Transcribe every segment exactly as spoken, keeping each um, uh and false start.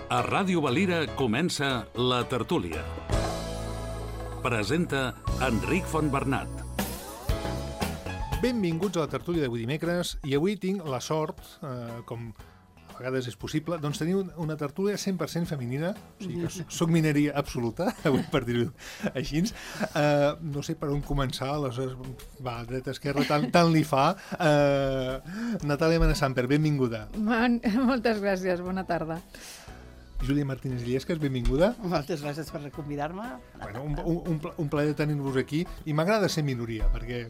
A Ràdio Valira comença La Tertúlia. Presenta Enric Fontbernat. Benvinguts a La Tertúlia d'avui dimecres, i avui tinc la sort, eh, com a vegades és possible, doncs tenir una tertúlia cent per cent femenina, o sigui que soc mineria absoluta, avui per dir-ho així. Eh, no sé per on començar, aleshores, va, dreta, esquerra, tant, tant li fa. Eh, Natàlia Manasamper, benvinguda. Man, moltes gràcies, bona tarda. Júlia Martínez Illescas, benvinguda. Moltes gràcies per convidar-me. Bueno, un, un, un plaer tenir-vos aquí, i m'agrada ser minoria, perquè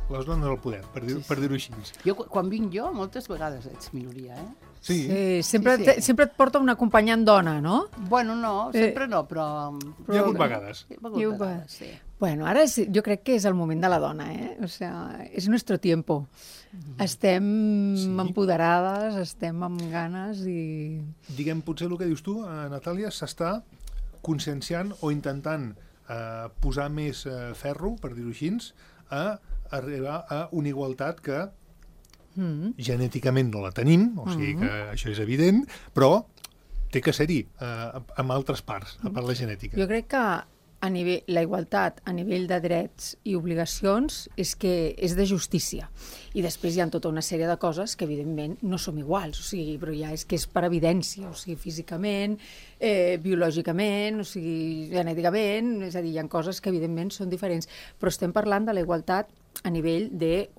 les dones al poder, per dir-ho Sí, sí. per dir-ho així. Jo, quan vinc jo, moltes vegades ets minoria, eh? Sí, Sí, sempre, Sí, sí. Te, sempre et porta un acompanyant dona, no? Bueno, no, sempre no, però... hi ha hagut vegades. Hi ha hagut Hi ha hagut vegades, sí. Bueno, ara és, jo crec que és el moment de la dona, eh? O sea, és nuestro tiempo. Estem Sí. empoderades, estem amb ganes i... Diguem, potser el que dius tu, eh, Natàlia, s'està conscienciant o intentant eh, posar més eh, ferro, per dir-ho així, a arribar a una igualtat que Mm. genèticament no la tenim, o sigui que això és evident, però té que ser-hi eh, amb altres parts, a part la genètica. Jo crec que a nivell, la igualtat a nivell de drets i obligacions és que és de justícia. I després hi ha tota una sèrie de coses que, evidentment, no som iguals, o sigui, però ja és que és per evidència, o sigui, físicament, eh, biològicament, o sigui, genèticament, és a dir, hi ha coses que, evidentment, són diferents, però estem parlant de la igualtat a nivell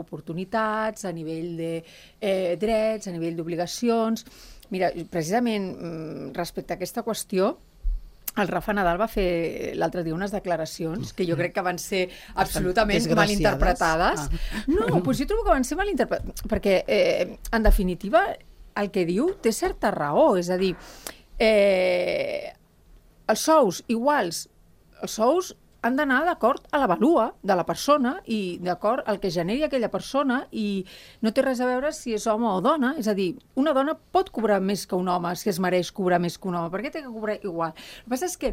d'oportunitats, a nivell de eh, drets, a nivell d'obligacions. Mira, precisament mm, respecte a aquesta qüestió, el Rafa Nadal va fer l'altre dia unes declaracions que jo crec que van ser absolutament desgraciades. malinterpretades. Ah. No, doncs jo trobo que van ser malinterpretades, perquè, eh, en definitiva, el que diu té certa raó, és a dir, eh, els sous iguals, els sous han d'anar d'acord a la valua de la persona i d'acord al que generi aquella persona, i no té res a veure si és home o dona. És a dir, una dona pot cobrar més que un home si es mereix cobrar més que un home. Per què té que cobrar igual? El que passa és que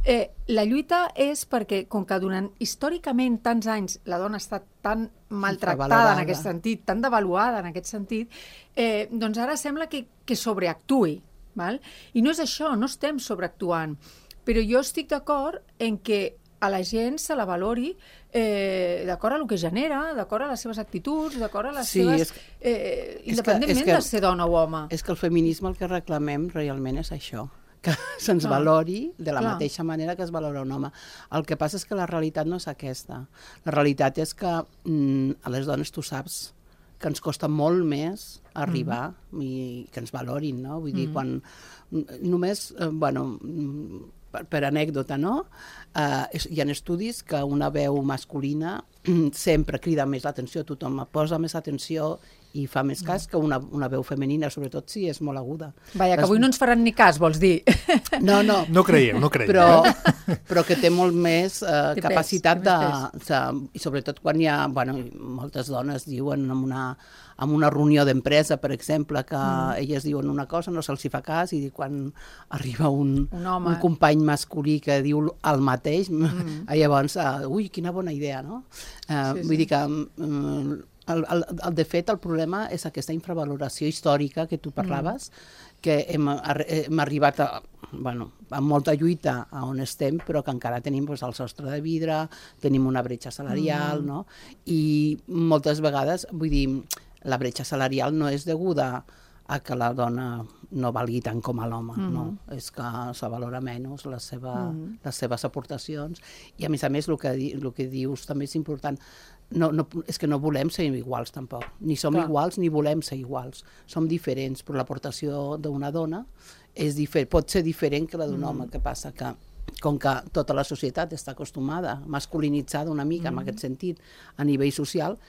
eh, la lluita és perquè, com que durant històricament tants anys la dona ha estat tan maltractada Infravalorada. en aquest sentit, tan devaluada en aquest sentit, eh, doncs ara sembla que, que sobreactuï. Val? I no és això, no estem sobreactuant. Però jo estic d'acord en que a la gent se la valori eh, d'acord a el que genera, d'acord a les seves actituds, d'acord a les Sí, seves... és que- Eh, és que- independentment és que- de ser dona o home. És que el feminisme el que reclamem realment és això, que se'ns Clar. valori de la Clar. mateixa manera que es valora un home. El que passa és que la realitat no és aquesta. La realitat és que mm, a les dones tu saps que ens costa molt més arribar mm. i que ens valorin, no? Vull dir, Mm. quan només, eh, bueno, mm, per, per anècdota, no? Uh, és, hi ha estudis que una veu masculina sempre crida més l'atenció, tothom posa més atenció i fa més cas que una, una veu femenina, sobretot si és molt aguda. Vaja, que Les- avui no ens faran ni cas, vols dir? No, no, No creieu, no creieu. però, però que té molt més eh, Té pes, capacitat té de, més de... I sobretot quan hi ha... Bueno, moltes dones diuen en una, en una reunió d'empresa, per exemple, que mm. elles diuen una cosa, no se'ls hi fa cas, i quan arriba un, Un home. un company masculí que diu el mateix, mm. llavors, uh, ui, quina bona idea, no? Uh, Sí, vull sí. dir que... Um, el, el, el, de fet, el problema és aquesta infravaloració històrica que tu parlaves, mm. que hem, arri- hem arribat a, bueno, amb molta lluita a on estem, però que encara tenim doncs, el sostre de vidre, tenim una bretxa salarial, mm. no? I moltes vegades, vull dir, la bretxa salarial no és deguda a que la dona no valgui tant com a l'home, mm. no? És que se valora menys la seva, mm. les seves aportacions, i a més a més el que, di, el que dius també és important. No, no, és que no volem ser iguals tampoc, ni som Clar. iguals ni volem ser iguals, som diferents, però l'aportació d'una dona és difer- pot ser diferent que la d'un mm. home. Que passa que com que tota la societat està acostumada, masculinitzada una mica mm. en aquest sentit a nivell social,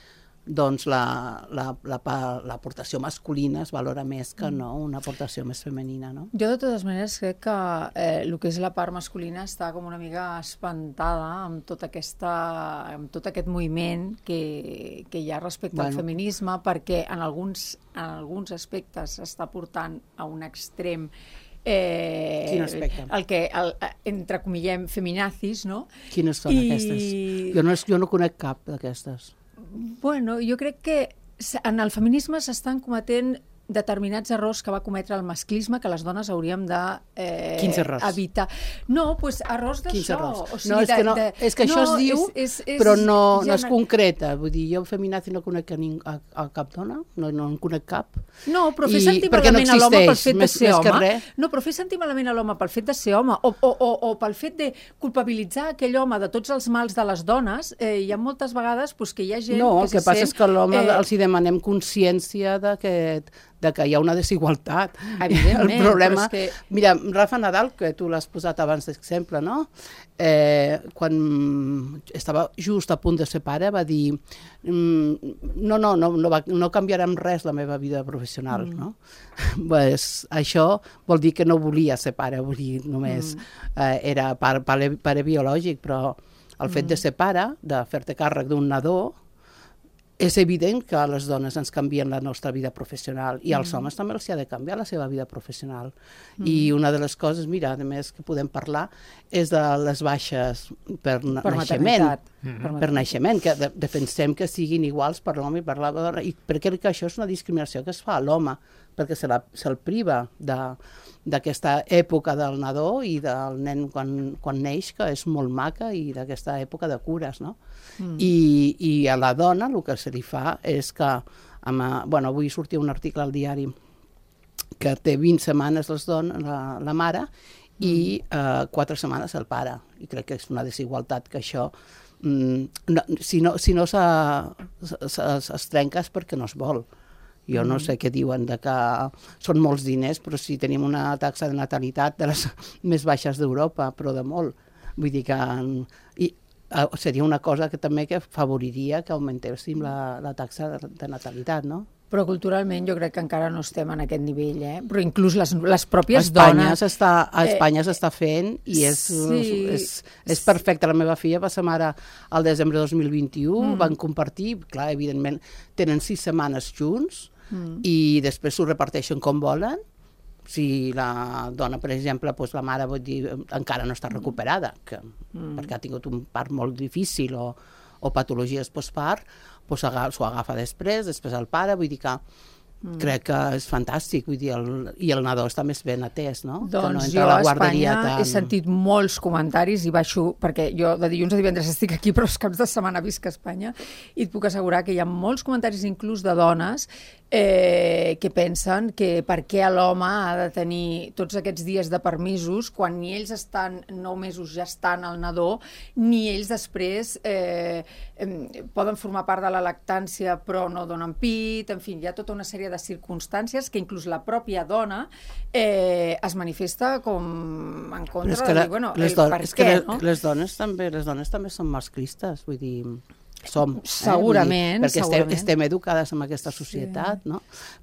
doncs la, la, la, pa- l'aportació masculina es valora més que no una aportació més femenina, no? Jo, de totes maneres, crec que eh, el que és la part masculina està com una mica espantada amb, tota aquesta, amb tot aquest moviment que, que hi ha respecte Bueno. al feminisme, perquè en alguns, en alguns aspectes s'està portant a un extrem eh, Quin aspecte? el que, el, entrecomillem, feminazis, no? Quines són I- aquestes? Jo no, jo no conec cap d'aquestes. Bueno, jo crec que s- en el feminisme s'estan cometent determinats errors que va cometre el masclisme que les dones hauríem de eh, Quins errors? evitar. No, doncs pues, errors d'això. Quins errors? O sigui, no, és que, no, de, de... és que això no, es diu, és, és, és, però no, no gener... es concreta. Vull dir, jo feminazi no conec a, ning, a, a cap dona, no, no en conec cap. No, però fer I, sentir no malament a l'home pel fet de més, ser més home... No, però fer sentir malament a l'home pel fet de ser home o, o, o, o pel fet de culpabilitzar aquell home de tots els mals de les dones, eh, hi ha moltes vegades pues, que hi ha gent no, que el que se passa sent... és que a l'home eh, els hi demanem consciència d'aquest de que hi ha una desigualtat. Evidentment, el problema... però és que... Mira, Rafa Nadal, que tu l'has posat abans d'exemple, no? Eh, quan estava just a punt de ser pare, va dir mm, no, no, no, no, va, no canviarà en res la meva vida professional, mm. no? Pues, això vol dir que no volia ser pare, vull dir, només mm. eh, era pare, pare, pare biològic, però el fet mm. de ser pare, de fer-te càrrec d'un nadó, és evident que a les dones ens canvien la nostra vida professional i als mm. homes també els ha de canviar la seva vida professional. Mm. I una de les coses, mira, a més que podem parlar, és de les baixes per, per naixement. Mm. Per naixement, que de, defensem que siguin iguals per l'home i per la dona. I perquè que això és una discriminació que es fa a l'home, perquè se'l se priva d'aquesta època del nadó i del nen quan, quan neix, que és molt maca, i d'aquesta època de cures, no? Mm. I, I a la dona el que se li fa és que, amb, bueno, avui sortia un article al diari que té vint setmanes les dones, la, la mare, mm. i eh, quatre setmanes el pare. I crec que és una desigualtat que això, mm, no, si no, si no es trenca és perquè no es vol. Jo no sé què diuen, de que són molts diners, però si tenim una taxa de natalitat de les més baixes d'Europa, però de molt. Vull dir que i, seria una cosa que també que favoriria que augmentéssim la, la taxa de, de natalitat, no? Però culturalment jo crec que encara no estem en aquest nivell, eh? Però inclús les, les pròpies a Espanya dones... Està, a Espanya s'està fent i és, sí, és, és perfecte. La meva filla va ser mare al desembre de dos mil vint-i-u, mm. van compartir, clar, evidentment, tenen sis setmanes junts mm. i després s'ho reparteixen com volen. Si la dona, per exemple, doncs la mare vol dir, encara no està recuperada, que, mm. perquè ha tingut un part molt difícil o, o patologies postpart, doncs s'ho agafa després, després el pare, vull dir que mm. crec que és fantàstic, vull dir, el, i el nadó està més ben atès, no? Doncs que no jo a la a guarderia Espanya tan... he sentit molts comentaris i baixo, perquè jo de dilluns a divendres estic aquí, però els caps de setmana visc a Espanya, i et puc assegurar que hi ha molts comentaris inclús de dones eh, que pensen que per què l'home ha de tenir tots aquests dies de permisos quan ni ells estan nou mesos gestant el nadó, ni ells després eh, eh, poden formar part de la lactància però no donen pit, en fi, hi ha tota una sèrie de circumstàncies que inclús la pròpia dona eh, es manifesta com en contra de dir, bueno, el per és què, que no? Les dones també, les dones també són masclistes, vull dir... som. Segurament, eh? Perquè segurament. estem, estem educades en aquesta societat, sí. no?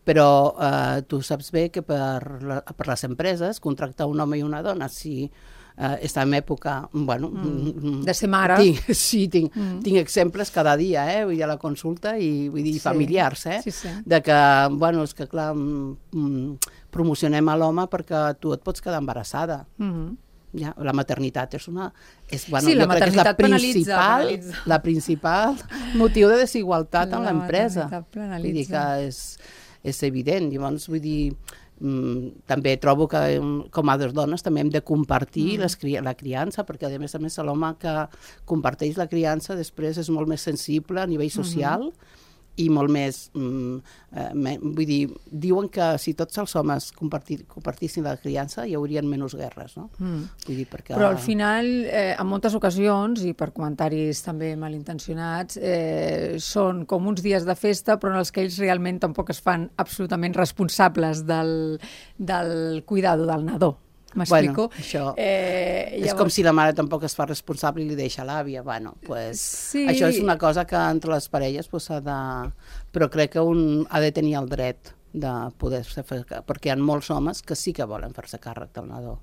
Però eh, tu saps bé que per, la, per les empreses contractar un home i una dona, si eh, està en època... Bueno, mm. de ser mare. Tinc, sí, tinc, mm. tinc exemples cada dia, eh? Vull dir, a la consulta i vull dir, sí. familiars, eh? Sí, sí. De que, bueno, és que clar, mm, promocionem a l'home perquè tu et pots quedar embarassada. Mm. Ja, la maternitat és una... És, bueno, sí, la jo crec que és la principal, penalitza. La principal motiu de desigualtat la en l'empresa. Vull dir que és, és evident. Llavors, vull dir, mm, també trobo que com a dones també hem de compartir mm. les, la criança, perquè a més a més l'home que comparteix la criança després és molt més sensible a nivell social, mm-hmm. i molt més, mm, eh, vull dir, diuen que si tots els homes compartir, compartissin la criança hi haurien menys guerres, no? Mm. Vull dir, perquè... Però al final, eh, en moltes ocasions, i per comentaris també malintencionats, eh, són com uns dies de festa, però en els que ells realment tampoc es fan absolutament responsables del, del cuidado del nadó. M'explico? Bueno, això eh, llavors... és com si la mare tampoc es fa responsable i li deixa l'àvia. Bueno, pues, sí. Això és una cosa que entre les parelles pues, ha de... Però crec que un ha de tenir el dret de poder-se fer... Perquè hi ha molts homes que sí que volen fer-se càrrec del nadó.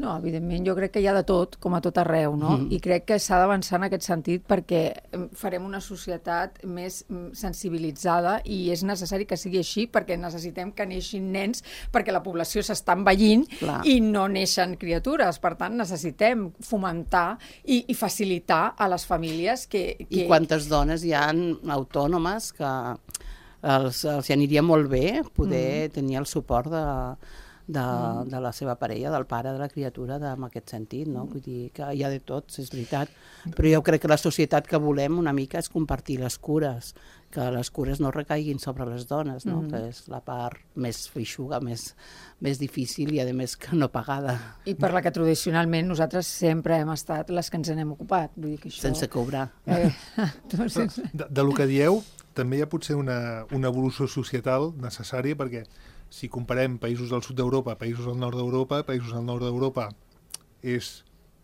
No, evidentment, jo crec que hi ha de tot, com a tot arreu, no? Mm. I crec que s'ha d'avançar en aquest sentit perquè farem una societat més sensibilitzada i és necessari que sigui així perquè necessitem que neixin nens perquè la població s'està envellint Clar. I no neixen criatures. Per tant, necessitem fomentar i, i facilitar a les famílies que, que... I quantes dones hi ha autònomes que... els, els aniria molt bé poder mm. tenir el suport de, de, mm. de la seva parella, del pare de la criatura, de, en aquest sentit, no? Vull dir que hi ha de tots, és veritat. Però jo crec que la societat que volem una mica és compartir les cures, que les cures no recaiguin sobre les dones, no? Mm. que és la part més feixuga, més, més difícil i, a més, que no pagada. I per la que tradicionalment nosaltres sempre hem estat les que ens n'hem ocupat. Vull dir que això... Sense cobrar. Eh, sense... De, de lo que dieu, també hi ha potser una, una evolució societal necessària, perquè si comparem països del sud d'Europa, països del nord d'Europa, països del nord d'Europa és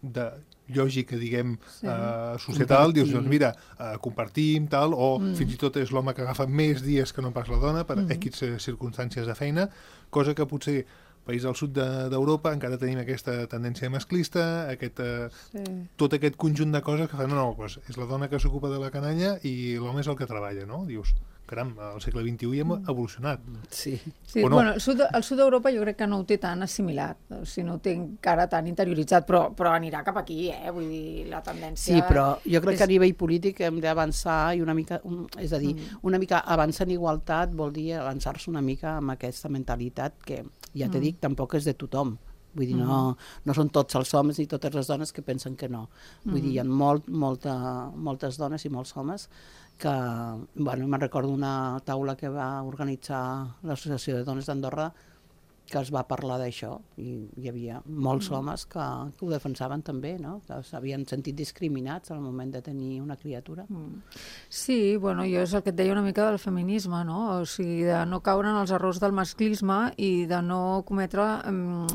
de lògica, diguem, sí. uh, societal, dius, doncs mira, uh, compartim, tal, o mm. fins i tot és l'home que agafa més dies que no pas la dona per mm. equis circumstàncies de feina, cosa que potser país del sud d'Europa encara tenim aquesta tendència masclista, aquest, uh, sí. tot aquest conjunt de coses que fan, no, no, doncs és la dona que s'ocupa de la canalla i l'home és el que treballa, no? Dius, caram, al segle vint-i-u hi hem evolucionat. Sí. Sí, no? Bueno, el sud, el sud d'Europa jo crec que no ho té tan assimilat, o sigui, no ho té encara tan interioritzat, però, però anirà cap aquí, eh? Vull dir, la tendència... Sí, però jo crec és... que a nivell polític hem d'avançar i una mica, un, és a dir, mm. una mica avançar en igualtat vol dir avançar-se una mica amb aquesta mentalitat que, ja t'he mm. dit, tampoc és de tothom. Vull dir, mm. no, no són tots els homes i totes les dones que pensen que no. Vull mm. dir, hi ha molt, molta, moltes dones i molts homes que, bueno, me'n recordo una taula que va organitzar l'Associació de Dones d'Andorra que es va parlar d'això i hi havia molts mm. homes que, que ho defensaven també, no? Que s'havien sentit discriminats al moment de tenir una criatura. Mm. Sí, bueno, jo és el que et deia una mica del feminisme, no? O sigui, de no caure en els errors del masclisme i de no cometre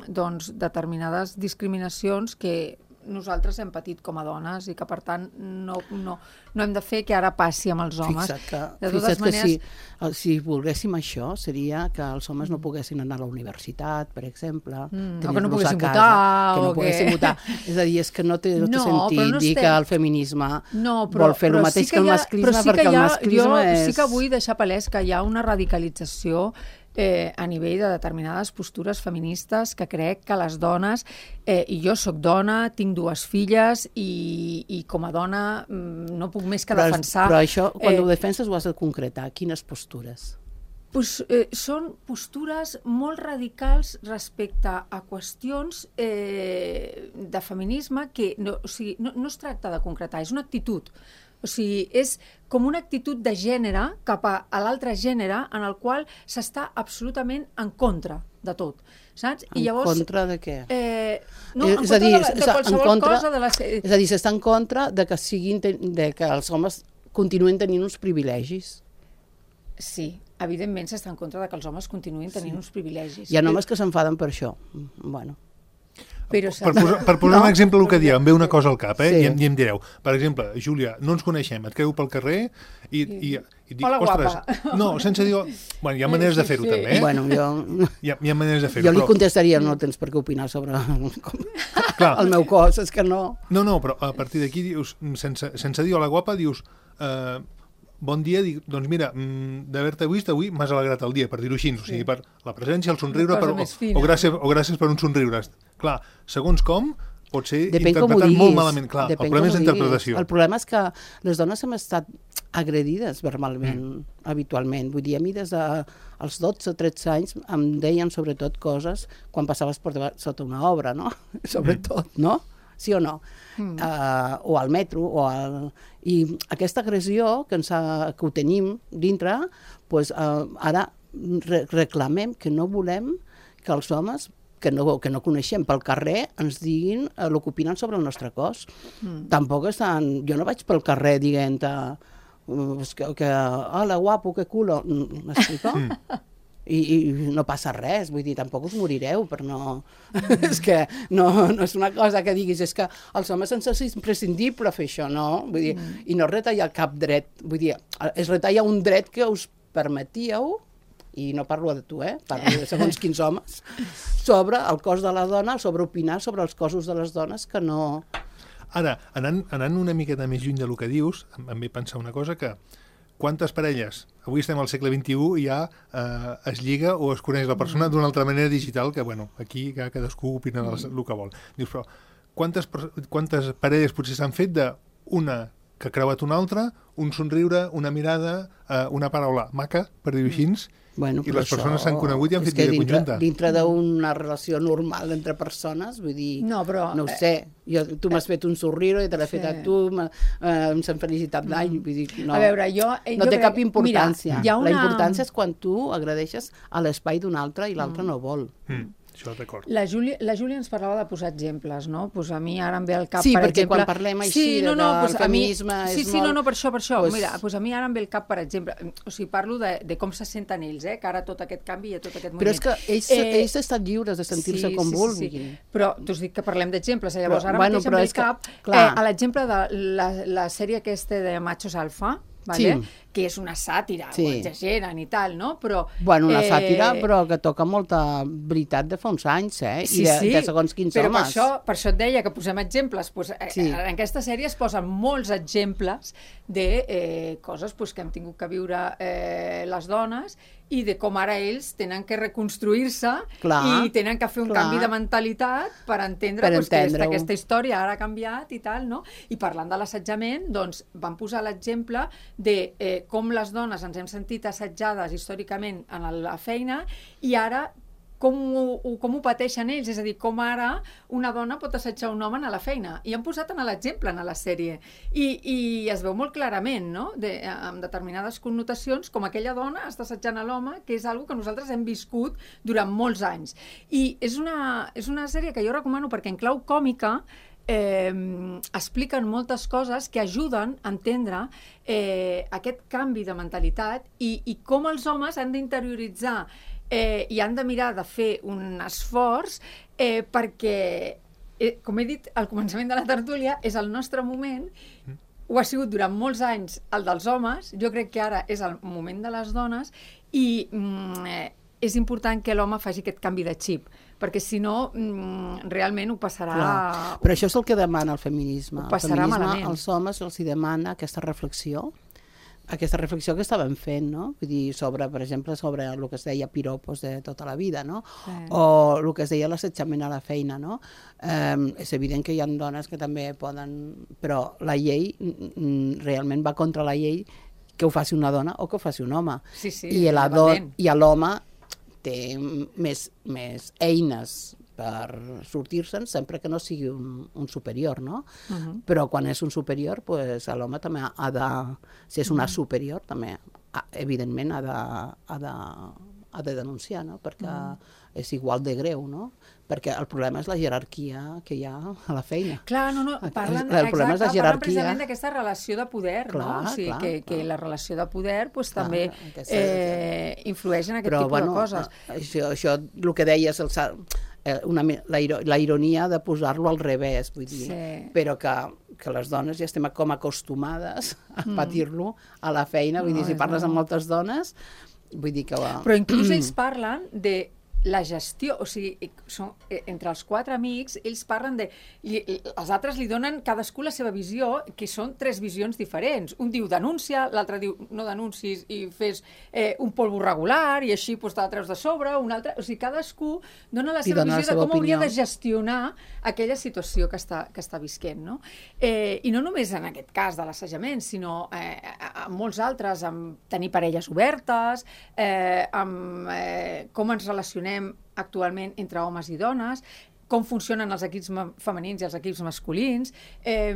doncs, determinades discriminacions que nosaltres hem patit com a dones i que, per tant, no, no, no hem de fer que ara passi amb els homes. Fixa't que, de totes fixa't maneres... que si, si volguéssim això, seria que els homes no poguessin anar a la universitat, per exemple, mm, o que no poguessin casa, votar. Que no o poguessin que... votar. És a dir, és que no té, no té no, sentit no dir estem... que el feminisme no, però, vol fer el mateix sí que, que el ha, masclisme, sí perquè ha, el masclisme jo és... sí que vull deixar palès que hi ha una radicalització Eh, a nivell de determinades postures feministes que crec que les dones, eh, i jo sóc dona, tinc dues filles i, i com a dona no puc més que però, defensar... Però això, quan eh, ho defenses, ho has de concretar. Quines postures? Pues, eh, són postures molt radicals respecte a qüestions eh, de feminisme que no, o sigui, no, no es tracta de concretar, és una actitud. O sigui, és com una actitud de gènere cap a, a l'altre gènere en el qual s'està absolutament en contra de tot, saps? En I llavors, contra de què? Eh, no, és en contra dir, de, de qualsevol en contra, cosa de la... És a dir, s'està en contra de que, siguin, de que els homes continuïn tenint uns privilegis. Sí, evidentment s'està en contra de que els homes continuïn tenint sí. uns privilegis. Hi ha homes que s'enfaden per això. Bueno... Però per posar, per posar no. un exemple el que dieu, em ve una cosa al cap, eh? Sí. I, em, i em direu, per exemple, Júlia, no ens coneixem, et creu pel carrer i, i, i dic, hola, ostres, guapa. No, sense dir... Bueno, hi ha maneres sí, de fer-ho sí. també, eh? Bueno, jo... Hi ha, hi ha maneres de fer-ho, Jo li però... contestaria, no tens per què opinar sobre Clar. el meu cos, és que no... No, no, però a partir d'aquí dius, sense, sense dir hola, guapa, dius... Eh, bon dia, dic, doncs mira, d'haver-te vist avui m'has alegrat el dia, per dir-ho així, o sigui, per la presència, el somriure, per, o, o, gràcies, o gràcies per un somriure. Clar, segons com, pot ser Depèn interpretat molt malament. Clar, Depèn el problema és diguis. l'interpretació. El problema és que les dones hem estat agredides verbalment, mm. habitualment. Vull dir, a mi des dels dotze o tretze anys em deien sobretot coses quan passaves per davant, sota una obra, no? Sobretot, mm. no? Sí o no? Mm. Uh, o al metro, o al... I aquesta agressió que, ens ha, que ho tenim dintre, pues, uh, ara re reclamem que no volem que els homes que no, que no coneixem pel carrer ens diguin uh, el que opinen sobre el nostre cos. Mm. Tampoc estan... Jo no vaig pel carrer dient uh, que, que hola, guapo, que culo... M'explico? Mm. I, i no passa res, vull dir, tampoc us morireu, però no... Mm. És que no, no és una cosa que diguis, és que els homes ens és imprescindible fer això, no? Vull dir, mm. i no retalla cap dret, vull dir, es retalla un dret que us permetíeu, i no parlo de tu, eh? Parlo de segons quins homes, sobre el cos de la dona, sobre opinar sobre els cossos de les dones que no... Ara, anant, anant una miqueta més lluny del que dius, em, em ve pensar una cosa que quantes parelles, avui estem al segle vint-i-u i ja eh, es lliga o es coneix la persona d'una altra manera digital que, bueno, aquí ja cadascú opina el, el que vol. Dius, però quantes, quantes parelles potser s'han fet d'una que ha creuat una altra un somriure, una mirada, eh, una paraula maca, per dir-ho així, Bueno, i però les persones això s'han conegut i han és fet que vida dintre, conjunta. dintre d'una relació normal entre persones, vull dir, No, però, no ho eh, sé, jo, tu m'has fet un somriure i te l'he Sí. fet a tu, m'ha- eh, em s'han felicitat d'any, vull dir, no, A veure, jo... eh, no jo té crec- cap importància. Mira, hi ha una... La importància és quan tu agradeixes a l'espai d'un altre i l'altre no vol. Mm, això d'acord. La Júlia, la Júlia ens parlava de posar exemples, no? Pues a mi ara em ve al cap, Sí, per perquè exemple... quan parlem així sí, no, de no, que pues el a mi- feminisme és Sí, sí, molt- no, no, per això, per això. Pues- Mira, pues a mi ara em ve al cap, per exemple, o sigui, parlo de, de com se senten ells, eh? Que ara tot aquest canvi i tot aquest moviment. Però és que ells, eh, ells estan lliures de sentir-se sí, com sí, vulguin. Sí, sí. Però t'us dic que parlem d'exemples, eh? Llavors Però, ara bueno, mateix però em ve és al que, cap clar. eh, a l'exemple de la, la sèrie aquesta de Machos Alfa, vale? Sí. Que és una sàtira, Sí. ho exageren i tal, no? Però, Bueno, una eh, sàtira, però que toca molta veritat de fa uns anys, eh? Sí, I de, sí, de segons quins però per homes. això, per això et deia que posem exemples. Pues, eh, Sí. En aquesta sèrie es posen molts exemples de eh, coses pues, que hem tingut que viure eh, les dones i de com ara ells tenen que reconstruir-se Clar, i tenen que fer un clar. canvi de mentalitat per entendre, Per pues, que entendre-ho. aquesta història ara ha canviat i tal, no? I parlant de l'assetjament, doncs van posar l'exemple de eh, com les dones ens hem sentit assetjades històricament en la feina i ara com ho, ho- com ho pateixen ells, és a dir, com ara una dona pot assetjar un home a la feina. I han posat en l'exemple en la sèrie. I, I es veu molt clarament, no?, de, amb determinades connotacions, com aquella dona està assetjant a l'home, que és algo que nosaltres hem viscut durant molts anys. I és una, és una sèrie que jo recomano perquè en clau còmica eh, expliquen moltes coses que ajuden a entendre eh, aquest canvi de mentalitat i, i com els homes han d'interioritzar eh, i han de mirar de fer un esforç eh, perquè, eh, com he dit al començament de la tertúlia, és el nostre moment, ho ha sigut durant molts anys el dels homes, jo crec que ara és el moment de les dones i mm, eh, és important que l'home faci aquest canvi de xip, perquè si no mm, realment ho passarà... Clar. Però això és el que demana el feminisme. Ho El passarà feminisme malament. als homes els hi demana aquesta reflexió, aquesta reflexió que estàvem fent, no? Vull dir, sobre, per exemple, sobre el que es deia piropos de tota la vida, no? Sí. O el que es deia l'assetjament a la feina, no? Eh, és evident que hi ha dones que també poden... Però la llei mm, realment va contra la llei que ho faci una dona o que ho faci un home. Sí, sí, I la do- totalment. i l'home té més, més eines per sortir-se'n sempre que no sigui un, un superior, no? Uh -huh. Però quan és un superior, pues, l'home també ha de... Si és una superior, també, ha, evidentment, ha de, ha de, ha de denunciar, no? Perquè uh -huh. és igual de greu, no? Perquè el problema és la jerarquia que hi ha a la feina. Clar, no, no, parlen, El problema és la exacte, parlen jerarquia. precisament d'aquesta relació de poder, Clar, no? O sigui, clar, que, que clar. la relació de poder pues, Clar, també aquesta- eh, influeix en aquest Però, tipus bueno, de coses. Això, això, el que deies, el, sa- eh, una, mi- la, iro- la ironia de posar-lo al revés, vull dir, Sí. però que, que les dones ja estem com acostumades a patir-lo a la feina, vull dir, No, si és parles amb no. moltes dones, vull dir que... Va. Però inclús ells parlen de la gestió, o sigui, són, eh, entre els quatre amics, ells parlen de... Li, els altres li donen cadascú la seva visió, que són tres visions diferents. Un diu denuncia, l'altre diu no denuncis i fes eh, un polvo regular i així pues, te la treus de sobre, un altre... O sigui, cadascú dona la I seva dona la visió de seva com hauria opinió. de gestionar aquella situació que està, que està visquent, no? Eh, I no només en aquest cas de l'assajament, sinó eh, en molts altres, amb tenir parelles obertes, eh, amb eh, com ens relacionem actualment entre homes i dones, com funcionen els equips femenins i els equips masculins. Eh,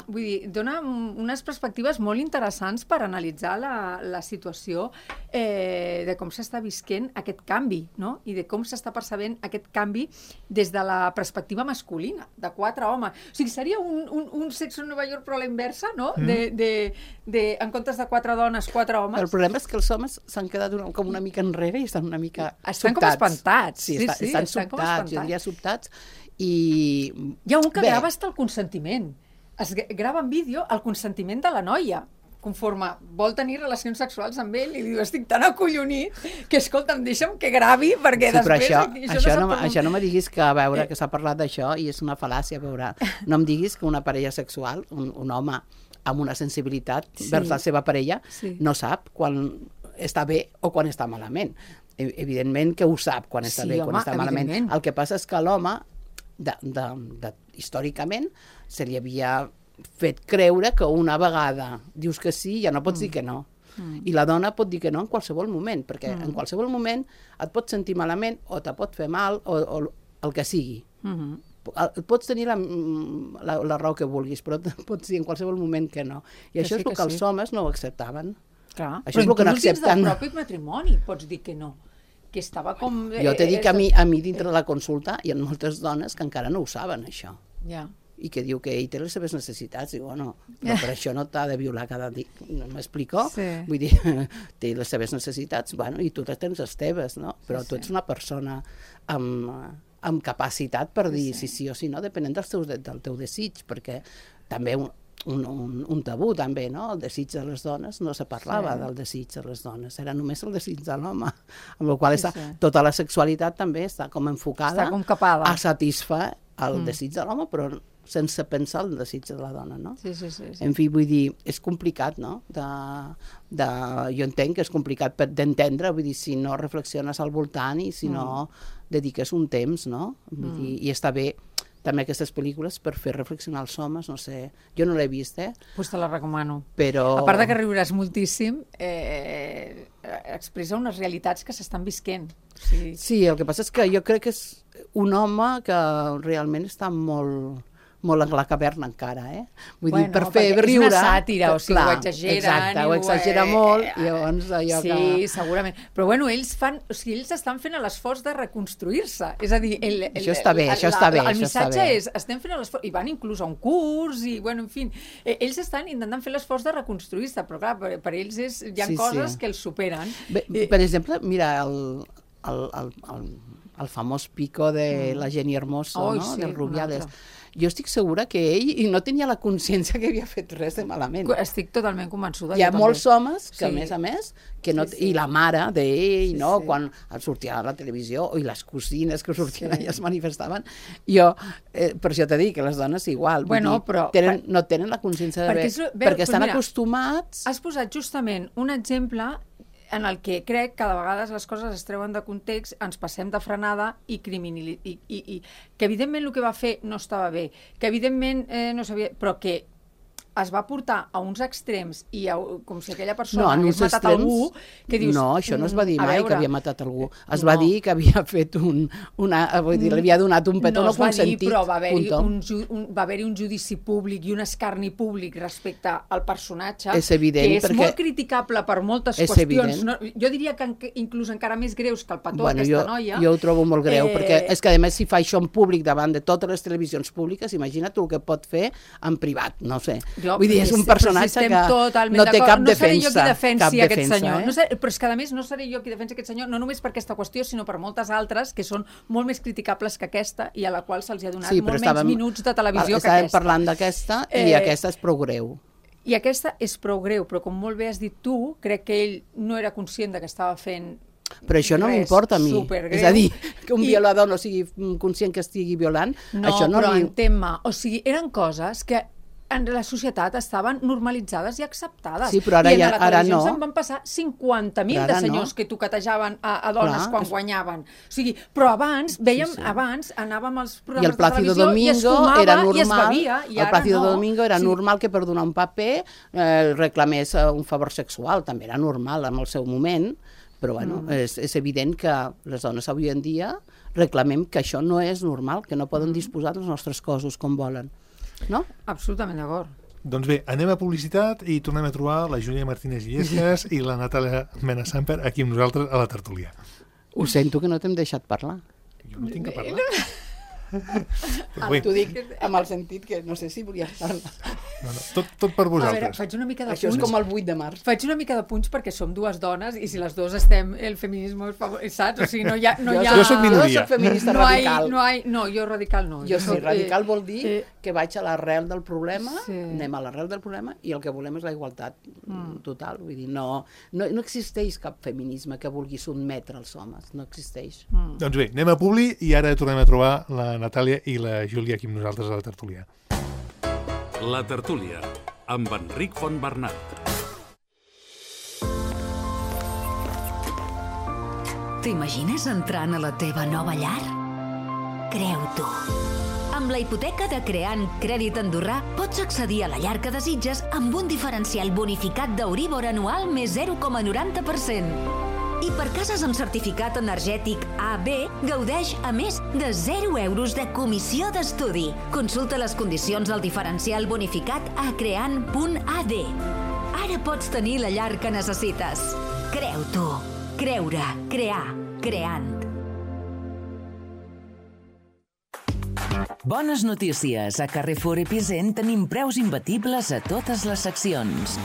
vull dir, dona unes perspectives molt interessants per analitzar la, la situació eh, de com s'està visquent aquest canvi, no? I de com s'està percebent aquest canvi des de la perspectiva masculina, de quatre homes. O sigui, seria un, un, un Sexo en Nova York però a la inversa, no? Mm. De, de, de, en comptes de quatre dones, quatre homes. El problema és que els homes s'han quedat una, com una mica enrere i estan una mica Estan com sobtats. espantats. Sí, Sí, està, sí, estan, estan com sobtats, espantats. jo diria sobtats, i... Hi ha un que Bé, grava hasta el consentiment. Es gra- grava en vídeo el consentiment de la noia, conforme vol tenir relacions sexuals amb ell, i li diu, estic tan acollonit que, escolta'm, deixa'm que gravi, perquè Sí, però després... això, aquí, això, sap no, com- això no me diguis que, a veure, que s'ha parlat d'això i és una fal·làcia, a veure, no em diguis que una parella sexual, un, un home amb una sensibilitat Sí. vers la seva parella, Sí. no sap quan està bé o quan està malament. E- Evidentment que ho sap quan està Sí, bé, home, quan està malament. evidentment. El que passa és que l'home, de, de, de, històricament, se li havia fet creure que una vegada dius que sí, ja no pots mm. dir que no. Mm. I la dona pot dir que no en qualsevol moment, perquè mm. en qualsevol moment et pots sentir malament o te pot fer mal o, o el que sigui. Mm-hmm. Pots tenir la, la, la raó que vulguis, però pots dir en qualsevol moment que no. I que això sí, és el que, que sí. els homes no ho acceptaven. Clar. Això però és el que no accepten. Dins del propi matrimoni pots dir que no. Que estava com... Jo t'he dit que a mi, a mi dintre de la consulta hi ha moltes dones que encara no ho saben, això. Ja. I que diu que ell té les seves necessitats. Diu, bueno, però per això no t'ha de violar cada dia. No m'explico? Sí. Vull dir, té les seves necessitats, bueno, i tu tens les teves, no? Però sí, tu ets una persona amb... amb capacitat per dir sí, sí, sí o sí no, depenent dels teus, del teu desig, perquè també un, un, un, un tabú també, no? El desig de les dones, no se parlava sí. del desig de les dones, era només el desig de l'home, amb la qual sí, està, sí. tota la sexualitat també està com enfocada està com capada. A satisfer el mm. desig de l'home, però sense pensar el desig de la dona, no? Sí, sí, sí, sí. En fi, vull dir, és complicat, no? De, de, jo entenc que és complicat d'entendre, vull dir, si no reflexiones al voltant i si mm. no dediques un temps, no? Vull mm. dir, i està bé també aquestes pel·lícules per fer reflexionar els homes, no sé, jo no l'he vist, eh? Pues te la recomano. Però... A part de que riuràs moltíssim, eh, expressa unes realitats que s'estan visquent. Sí. sí, el que passa és que jo crec que és un home que realment està molt... molt en la caverna encara, eh? Vull bueno, dir, per fer riure... És una sàtira, o sigui, clar, ho exageren... Exacte, ho exagera ho... molt, i llavors allò sí, que... Sí, segurament. Però bueno, ells fan... O sigui, ells estan fent l'esforç de reconstruir-se. És a dir... El, el, això està bé, el, això està bé. El missatge és, estem fent l'esforç... I van inclús a un curs, i bueno, en fi... Ells estan intentant fer l'esforç de reconstruir-se, però clar, per, per ells és, hi ha sí, coses sí. que els superen. Bé, per exemple, mira, el, el, el, el, el famós pico de mm. la Jenny Hermoso, oh, no? Sí, del Rubiales. Jo estic segura que ell no tenia la consciència que havia fet res de malament. Estic totalment convençuda. Hi ha molts també. homes que, sí. a més a més, que no, sí, sí. i la mare d'ell, sí, no? Sí. Quan sortia a la televisió, i les cosines que sortien sí. allà es manifestaven. Jo, eh, per això t'he dit que les dones igual, bueno, dir, però, tenen, no tenen la consciència de perquè, bé, és, perquè estan mira, acostumats... Has posat justament un exemple en el que crec que de vegades les coses es treuen de context, ens passem de frenada i, criminali... I, i, i que evidentment el que va fer no estava bé, que evidentment eh, no sabia... però que es va portar a uns extrems i a, com si aquella persona no, hagués matat extrems, algú que dius... No, això no es va dir mai veure, que havia matat algú. Es no. va dir que havia fet un... Una, vull dir, li havia donat un petó no, no consentit. No, però va haver-hi un, un, va haver un judici públic i un escarni públic respecte al personatge, és evident, que és perquè... molt criticable per moltes és qüestions. No, jo diria que en, inclús encara més greus que el petó bueno, d'aquesta jo, noia. Jo ho trobo molt greu, eh... perquè és que a més si fa això en públic davant de totes les televisions públiques, imagina't el que pot fer en privat, no sé. Jo, vull dir, és un personatge si que no té cap no defensa. Seré jo qui defensi cap aquest defensa, senyor. Eh? No sé, però és que a més no seré jo qui defensi aquest senyor, no només per aquesta qüestió, sinó per moltes altres que són molt més criticables que aquesta i a la qual se'ls ha donat sí, molt estàvem, menys minuts de televisió que aquesta. Estàvem parlant d'aquesta i eh, aquesta és prou greu. I aquesta és prou greu, però com molt bé has dit tu, crec que ell no era conscient de que estava fent però això no m'importa a mi, supergreu. És a dir, que un I... violador no sigui conscient que estigui violant, no, això no però li... entén-me, o sigui, eren coses que en la societat estaven normalitzades i acceptades. Sí, però ara, I en ja, la ara televisió no. se'n van passar cinquanta mil de senyors no. que toquetejaven a, a dones Clar, quan és... guanyaven. O sigui, però abans, veiem, sí, sí. abans anàvem als programes de televisió Domingo i es fumava era normal, i es bevia. I el Plácido no. Domingo era sí. normal que per donar un paper eh, reclamés un favor sexual, també era normal en el seu moment, però bueno, mm. és, és evident que les dones avui en dia reclamem que això no és normal, que no poden disposar dels nostres cossos com volen. No? Absolutament d'acord. Doncs bé, anem a publicitat i tornem a trobar la Júlia Martínez Illescas i la Natàlia Mena-Samper aquí amb nosaltres a la tertúlia. Ho sento que no t'hem deixat parlar. Jo no tinc que parlar. Ah, t'ho dic amb el sentit que no sé si volies parlar. No, no, tot, tot per vosaltres. A veure, faig una mica de Això punts. és com el vuit de març. Faig una mica de punts perquè som dues dones i si les dues estem, el feminisme és favor... saps? O sigui, no hi ha... No jo, hi ha... jo soc minoria. Jo soc feminista no radical. Hay, no, hay, no, jo radical no. Jo, jo sí, soc, radical eh, vol dir eh, que vaig a l'arrel del problema, sí. anem a l'arrel del problema i el que volem és la igualtat mm. total. Vull dir, no, no, no existeix cap feminisme que vulgui sotmetre els homes, no existeix. Mm. Doncs bé, anem a Publi i ara tornem a trobar la Natàlia i la Júlia aquí amb nosaltres a la tertúlia. La tertúlia, amb Enric Fontbernat. T'imagines entrant a la teva nova llar? Creu-t'ho. Amb la hipoteca de Creant Crèdit Andorrà pots accedir a la llar que desitges amb un diferencial bonificat d'Euríbor anual més zero coma noranta per cent. I per cases amb certificat energètic A B, gaudeix a més de zero euros de comissió d'estudi. Consulta les condicions del diferencial bonificat a creant punt a d. Ara pots tenir la llar que necessites. Creu-t'ho. Creure, crear, creant. Bones notícies. A Carrefour Epicent tenim preus imbatibles a totes les seccions.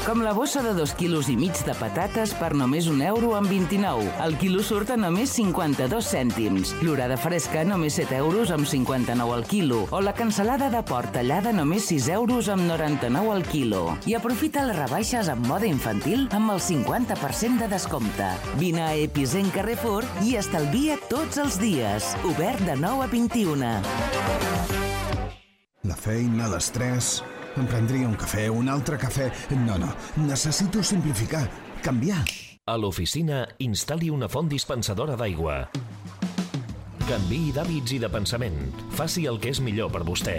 Com la bossa de dos quilos i mig de patates per només un euro amb vint-i-nou. El quilo surt a només cinquanta-dos cèntims. L'orada fresca només set euros amb cinquanta-nou al quilo. O la cansalada de porc tallada només sis euros amb noranta-nou al quilo. I aprofita les rebaixes en moda infantil amb el cinquanta per cent de descompte. Vine a Epicent Carrefour i estalvia tots els dies. Obert de nou a vint-i-una. La feina, l'estrès... Em prendria un cafè, un altre cafè... No, no, necessito simplificar, canviar. A l'oficina, instal·li una font dispensadora d'aigua. Canviï d'hàbits i de pensament. Faci el que és millor per vostè.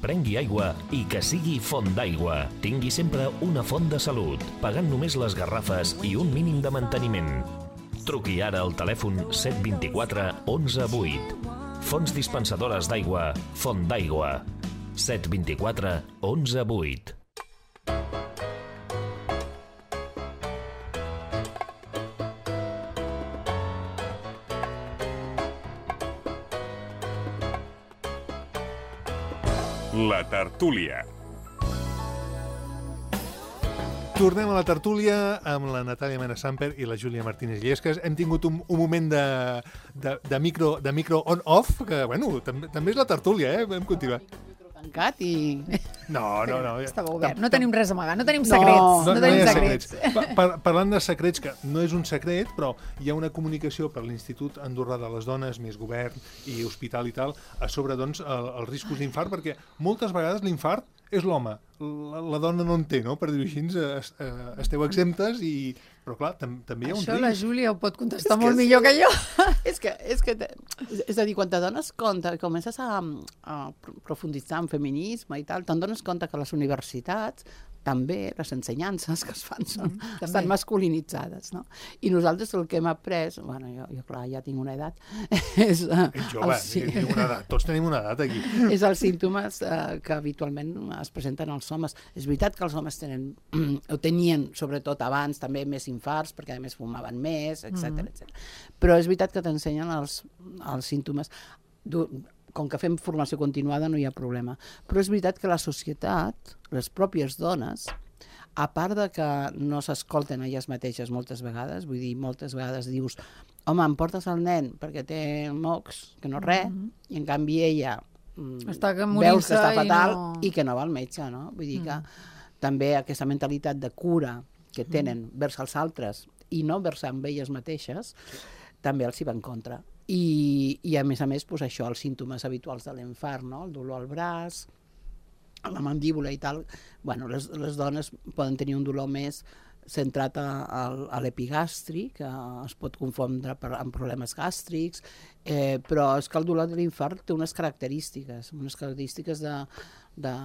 Prengui aigua i que sigui font d'aigua. Tingui sempre una font de salut, pagant només les garrafes i un mínim de manteniment. Truqui ara al telèfon set dos quatre onze vuit. Fonts dispensadores d'aigua, Font d'Aigua. set dos quatre onze vuit. La tertúlia. Tornem a la tertúlia amb la Natàlia Mena-Samper i la Júlia Martínez Llesques. Hem tingut un, un moment de, de, de micro, de micro on-off, que, bueno, també, també és la tertúlia, eh? Vam continuar. Tancat i... No, no, no. Estava obert. No tenim res a amagar, no tenim secrets. No, no, no tenim no secrets. secrets. Pa, par, parlant de secrets, que no és un secret, però hi ha una comunicació per l'Institut Andorrà de les Dones, més govern i hospital i tal, a sobre, doncs, el, els riscos d'infart, perquè moltes vegades l'infart és l'home, la, la dona no en té, no? Per dir-ho així, es, eh, esteu exemptes i... Però clar, tam, també hi ha un Això risc. la Júlia ho pot contestar És molt que millor que jo. És que, és que, és a dir, quan te dones compte, comences a, a profunditzar en feminisme i tal, te'n dones compte que les universitats també les ensenyances que es fan són, mm, estan masculinitzades, no? I nosaltres el que hem après, bueno, jo, jo clar, ja tinc una edat, és... Uh, Ets jove, sí. una edat, tots tenim una edat aquí. És els símptomes uh, que habitualment es presenten als homes. És veritat que els homes tenen, o tenien, sobretot abans, també més infarts, perquè a més fumaven més, etcètera, mm-hmm. etcètera. Però és veritat que t'ensenyen els, els símptomes... Com que fem formació continuada no hi ha problema. Però és veritat que la societat, les pròpies dones, a part de que no s'escolten elles mateixes moltes vegades, vull dir, moltes vegades dius, home, em portes el nen perquè té mocs, que no res, mm-hmm. i en canvi ella està que veus que està fatal i, no... i que no va al metge, no? Vull dir que mm. també aquesta mentalitat de cura que tenen mm. vers els altres i no vers amb elles mateixes, també els hi va en contra. I, i a més a més, pues, això, els símptomes habituals de l'infart, no? El dolor al braç, a la mandíbula i tal. Bueno, les, les dones poden tenir un dolor més centrat a, a, a l'epigastri, que es pot confondre per, amb problemes gàstrics, eh, però és que el dolor de l'infart té unes característiques, unes característiques de, de,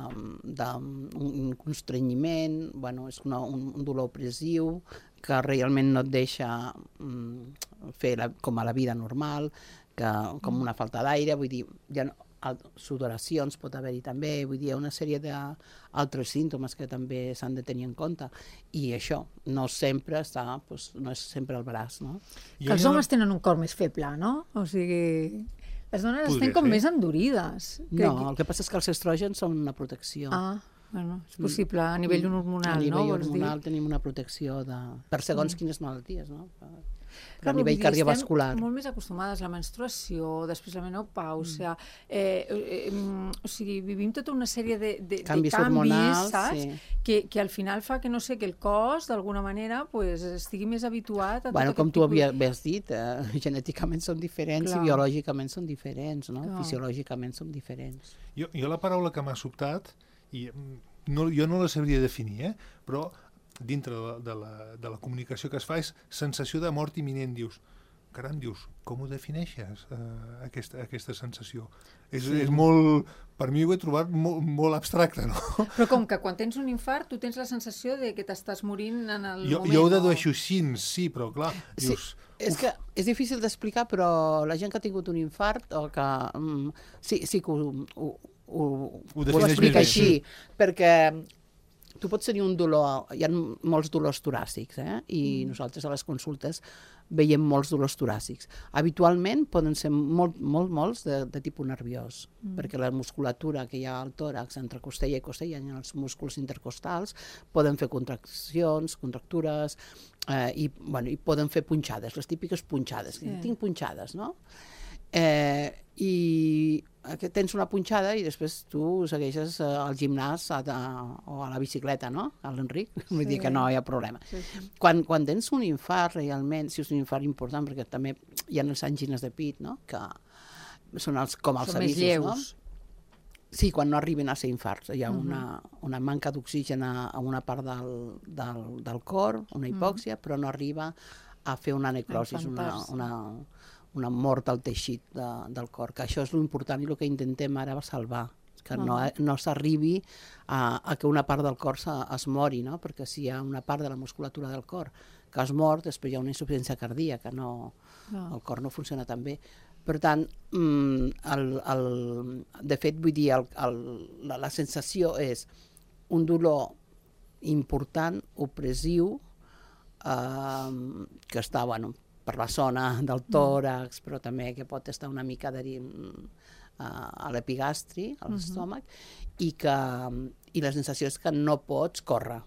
de un constrenyiment, bueno, és una, un, un dolor opressiu, que realment no et deixa mm, fer la, com a la vida normal, que, com una falta d'aire, vull dir, ja no, sudoracions pot haver-hi també, vull dir, hi ha una sèrie d'altres símptomes que també s'han de tenir en compte, i això no sempre està, doncs, no és sempre el braç, no? Que els homes tenen un cor més feble, no? O sigui, les dones Podria estan com ser. més endurides. No, el que passa és que els estrògens són una protecció. Ah, bueno, és possible, a nivell hormonal, no? A nivell no? hormonal tenim una protecció de... per segons mm. quines malalties, no? Per, Clar, a nivell cardiovascular. Estem molt més acostumades a la menstruació, després la menopàusia, mm. eh, eh, eh, o sigui, vivim tota una sèrie de, de, canvis, de canvis, hormonals, saps? Sí. Que, que al final fa que, no sé, que el cos, d'alguna manera, pues, estigui més habituat a bueno, tot com aquest tu tipus... havies dit, eh, genèticament són diferents Clar. I biològicament són diferents, no? Fisiològicament són diferents. Jo, jo la paraula que m'ha sobtat, i no, jo no la sabria definir, eh? Però dintre de la, de, la, de la comunicació que es fa és sensació de mort imminent, dius. caram, dius, com ho defineixes, uh, aquesta, aquesta sensació? És, sí. és molt... Per mi ho he trobat molt, molt abstracte, no? Però com que quan tens un infart tu tens la sensació de que t'estàs morint en el jo, moment. Jo ho dedueixo així, sí, però clar, dius... Sí, és que és difícil d'explicar, però la gent que ha tingut un infart o que... Mm, sí, sí que ho, ho, ho, ho, ho explica així, sí. Perquè tu pots tenir un dolor... Hi ha molts dolors toràcics, eh? I mm. nosaltres a les consultes veiem molts dolors toràcics. Habitualment poden ser molt, molt, molts de, de tipus nerviós, mm. perquè la musculatura que hi ha al tòrax entre costella i costella i els músculs intercostals poden fer contraccions, contractures, eh, i, bueno, i poden fer punxades, les típiques punxades. Sí. Tinc punxades, no? Eh, I tens una punxada i després tu segueixes al gimnàs a, a, o a la bicicleta, no? A l'Enric, sí. Vull dir que no hi ha problema. Sí, sí. Quan, quan tens un infart realment, si és un infart important, perquè també hi ha les angines de pit, no? Que són els, com els són avisos, més lleus. No? Sí, quan no arriben a ser infarts. Hi ha uh-huh. una, una manca d'oxigen a, a una part del, del, del cor, una hipòxia, uh-huh. però no arriba a fer una necrosi, una, una, una mort al teixit de, del cor, que això és l'important i el que intentem ara salvar, que uh-huh. no, no s'arribi a, a que una part del cor se, es mori, no? Perquè si hi ha una part de la musculatura del cor que es mort, després hi ha una insuficiència cardíaca, no, uh-huh. el cor no funciona tan bé. Per tant, el, el, de fet, vull dir, el, el, la, la sensació és un dolor important, opressiu, eh, que està, bueno, per la zona del tòrax, però també que pot estar una mica de, uh, a l'epigastri, a l'estómac, uh-huh. i que i la sensació és que no pots córrer.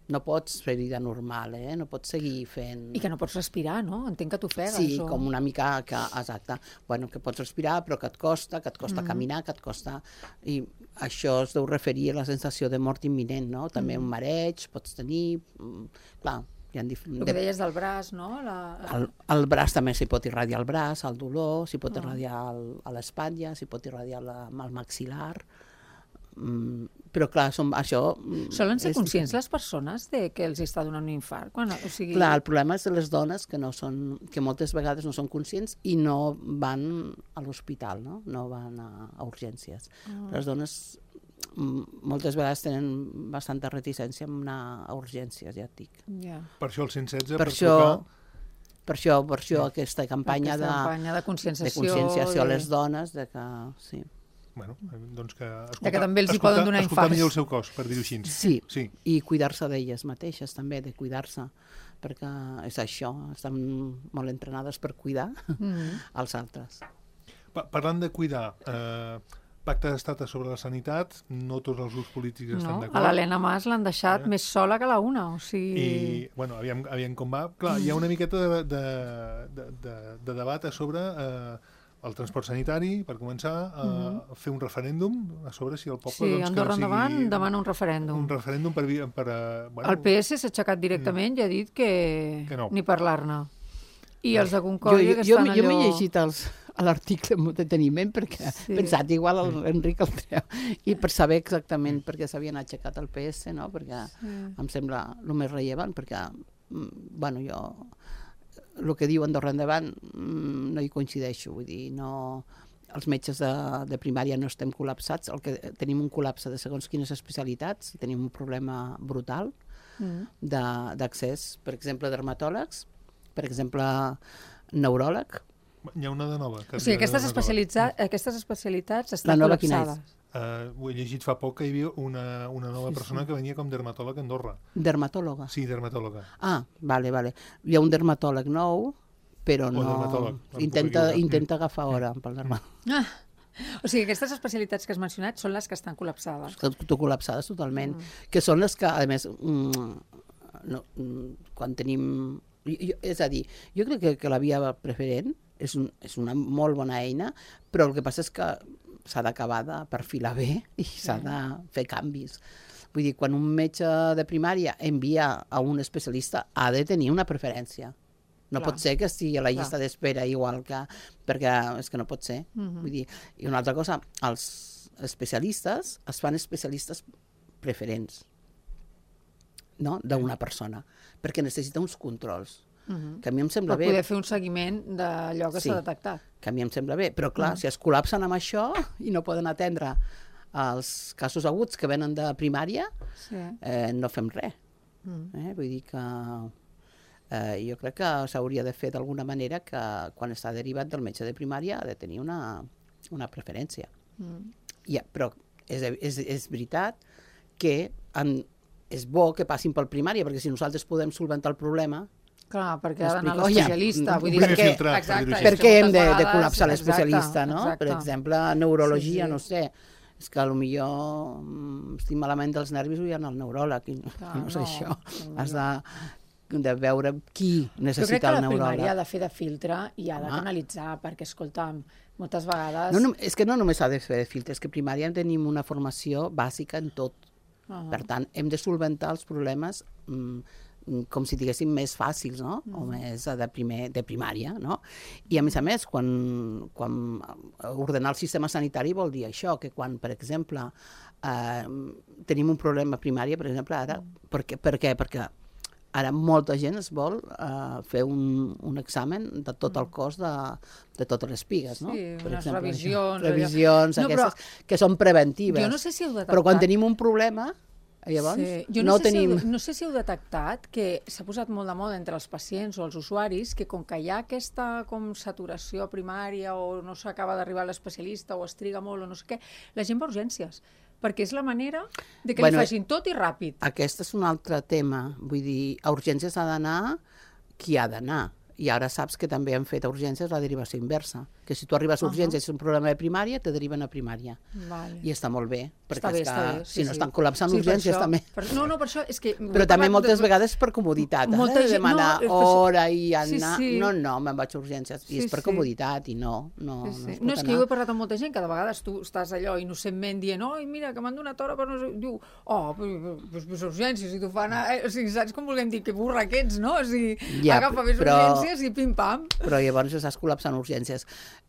No pots fer vida normal, eh? No pots seguir fent... I que no pots respirar, no? Entenc que t'ofegues. Sí, o... com una mica que... Exacte. Bueno, que pots respirar, però que et costa, que et costa mm. caminar, que et costa... I això es deu referir a la sensació de mort imminent, no? També mm. un mareig pots tenir... Clar, hi ha dif... El que deies del braç, no? La... El, el braç també s'hi pot irradiar el braç, el dolor, s'hi pot oh. irradiar el, a l'espatlla, s'hi pot irradiar la, el maxil·lar... Mm, però clar, som, això... Solen ser conscients les persones de que els està donant un infart? Quan, o sigui... Clar, el problema és de les dones que, no són, que moltes vegades no són conscients i no van a l'hospital, no? No van a, a urgències. Oh. Les dones moltes vegades tenen bastanta reticència en anar a urgències, ja et dic. Yeah. Per això el cent setze, per, per això, trucar... Per això, per això sí. aquesta campanya, aquesta de, campanya de conscienciació, de conscienciació de... a les dones, de que... Sí. Bueno, doncs que escoltar, de que també els hi escoltar, poden donar infarts. Escoltar millor el seu cos, per dir-ho així. Sí, sí. I cuidar-se d'elles mateixes també, de cuidar-se, perquè és això, estan molt entrenades per cuidar mm-hmm. els altres. Pa parlant de cuidar, eh, pacte d'estat sobre la sanitat, no tots els grups polítics no, estan d'acord. A l'Helena Mas l'han deixat eh? més sola que la una, o sigui... I, bueno, aviam, aviam com va. Clar, hi ha una miqueta de, de, de, de, de debat sobre... Eh, el transport sanitari, per començar, a uh-huh. fer un referèndum a sobre si el poble... Sí, doncs, Andorra que no sigui... endavant demana un referèndum. Un referèndum per... per uh, bueno, el P S s'ha aixecat directament i ha dit que, que no. ni parlar-ne. I els de Concòrdia jo, jo, que estan jo, allò... Jo m'he llegit els, a l'article amb deteniment perquè sí. he pensat igual l'Enric el treu i per saber exactament per què s'havien aixecat el P S, no? Perquè sí. em sembla el més rellevant, perquè, bueno, jo... el que diu Andorra endavant no hi coincideixo, vull dir, no, els metges de, de primària no estem col·lapsats, el que tenim un col·lapse de segons quines especialitats, tenim un problema brutal mm. d'accés, per exemple, dermatòlegs, per exemple, neuròleg. Hi ha una de nova. O sigui, aquestes, aquestes especialitats estan col·lapsades. Uh, ho he llegit fa poc que hi havia una, una nova sí, persona sí. que venia com dermatòleg a Andorra. Dermatòloga? Sí, dermatòloga. Ah, vale, vale. Hi ha un dermatòleg nou, però no... Intenta, intenta agafar hora pel dermatòleg. Ah, o sigui, aquestes especialitats que has mencionat són les que estan col·lapsades. Estan col·lapsades totalment. Mm. Que són les que, a més, mm, no, quan tenim... Jo, és a dir, jo crec que, que la via preferent és, un, és una molt bona eina, però el que passa és que s'ha d'acabar de perfilar bé i s'ha de fer canvis. Vull dir, quan un metge de primària envia a un especialista ha de tenir una preferència. No Clar. Pot ser que estigui a la llista d'espera igual que... perquè és que no pot ser. Uh-huh. Vull dir, i una altra cosa, els especialistes es fan especialistes preferents, no? D'una persona, perquè necessita uns controls. Uh-huh. Que a mi em sembla per bé. poder fer un seguiment d'allò que Sí. s'ha detectat. Que a mi em sembla bé. Però, clar, uh-huh. si es col·lapsen amb això i no poden atendre els casos aguts que venen de primària, Sí. eh, no fem res. Uh-huh. Eh? Vull dir que eh, jo crec que s'hauria de fer d'alguna manera que quan està derivat del metge de primària ha de tenir una, una preferència. Uh-huh. Ja, però és, és, és veritat que en, és bo que passin pel primària, perquè si nosaltres podem solventar el problema... Clar, perquè ha d'anar a Explico, l'especialista. ja, Vull dir, primer que, filtrat, exacte, per dir-ho Per així. què hem de, moltes de vegades- col·lapsar l'especialista, exacte, no? exacte. Per exemple, neurologia, Sí, sí. no sé, és que potser mm, estic malament dels nervis vull anar al neuròleg, i no, Clar, no sé no, això. no. Has de, de veure qui Jo crec necessita que el la neuròleg. primària ha de fer de filtre i ha de Home. canalitzar, perquè, escolta'm, moltes vegades... No, no, és que no només ha de fer de filtre, és que a primària tenim una formació bàsica en tot. Uh-huh. Per tant, hem de solventar els problemes mm, com si diguéssim més fàcils, no? Mm. O més de, primer, de primària, no? I a més a més, quan, quan ordenar el sistema sanitari vol dir això, que quan, per exemple, eh, tenim un problema a primària, per exemple, ara, mm. per, què, per què? Perquè ara molta gent es vol uh, fer un, un examen de tot el cos de, de totes les pigues, no? Sí, per unes exemple, revisions, això. Revisions, allò. No, aquestes, però que són preventives. jo no sé si heu detectat... Però quan tenim un problema, llavors Sí. Jo no, no, sé tenim... si heu, no sé si heu detectat que s'ha posat molt de moda entre els pacients o els usuaris que com que hi ha aquesta com saturació primària o no s'acaba d'arribar a l'especialista o es triga molt o no sé què, la gent va a urgències, perquè és la manera de que Bueno, li facin tot i ràpid. Aquest és un altre tema. Vull dir, a urgències ha d'anar qui ha d'anar. I ara saps que també han fet a urgències la derivació inversa. Que si tu arribes a urgències i és un problema de primària, te deriven a primària. Vale. I està molt bé. Perquè Està bé, és que, està bé. si Sí, no sí. estan col·lapsant Sí, per urgències, això- també... Per, no, no, per això és que... Però també moltes vegades per comoditat, eh? Molta de gent- demanar no, és per- hora i Sí, anar... sí. No, no, me'n vaig a urgències. I Sí, és per sí. comoditat, i no, no, Sí, no sí. es No, pot és que anar. jo he parlat amb molta gent que de vegades tu estàs allò innocentment dient oi, mira, que m'han donat hora per no sé... Diu, oh, però, però, però urgències, i tu fan... Eh, o sigui, saps com volem dir? Que burra que ets, no? O sigui, Ja, agafa més però- urgències i pim-pam. Però llavors estàs col·lapsant urgències.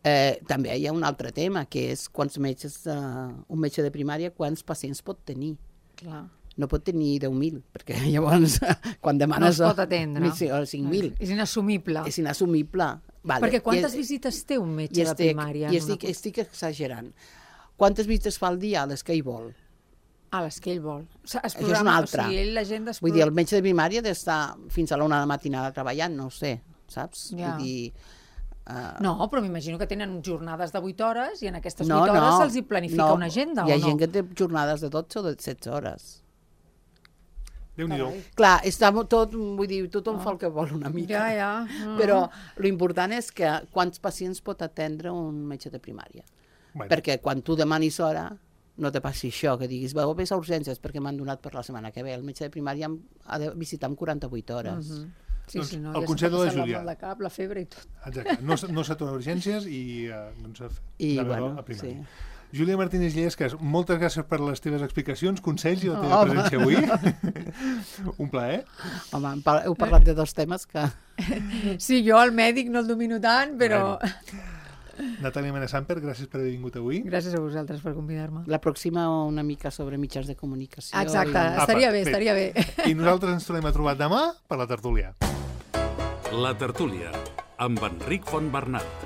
Eh, també hi ha un altre tema, que és quants metges, eh, un metge de primària, quants pacients pot tenir. Clar. No pot tenir deu mil, perquè llavors quan No demanes... es pot atendre. cinc mil. És inassumible. És inassumible. Vale. Perquè quantes I, visites té un metge i de estic, primària? I en una estic, estic exagerant. Quantes visites fa al dia? Les que ell vol. A les que ell vol. O sigui, es Això és una altra. O sigui, ell, la gent Vull dir, el metge de primària ha d'estar fins a l'una de la matinada treballant, no ho sé, saps? Ja. Vull dir... Uh, No, però m'imagino que tenen jornades de vuit hores i en aquestes no, vuit hores no, se'ls hi planifica no. una agenda, Hi ha o no? gent que té jornades de dotze o de setze hores. Déu-n'hi-do. Clar, està mo- tot, vull dir, tothom fa el que vol una mica. Ja, ja. No. Però l'important és que quants pacients pot atendre un metge de primària. Bueno. Perquè quan tu demanis hora, no te passi això, que diguis, veu, vés a urgències perquè m'han donat per la setmana que ve. El metge de primària em- ha de visitar en quaranta-vuit hores. Mhm. Sí, Doncs sí, no, el ja consell s'ha de la passat Júlia. mal de cap, la febre i tot. Exacte. No, s- no s'atura urgències i uh, doncs, a, I, de bueno, a primària. sí. Júlia Martínez Llescas, moltes gràcies per les teves explicacions, consells i la teva Home. presència avui. Un plaer. Home, hem par- heu parlat de dos temes que... Sí, jo el mèdic no el domino tant, però... Bueno. Natàlia Mena-Samper, gràcies per haver vingut avui. Gràcies a vosaltres per convidar-me. La pròxima una mica sobre mitjans de comunicació. Exacte, I... estaria Apa, bé, bé. estaria bé. I nosaltres ens tornem a trobar demà per la tertúlia. La tertúlia, amb Enric Fontbernat.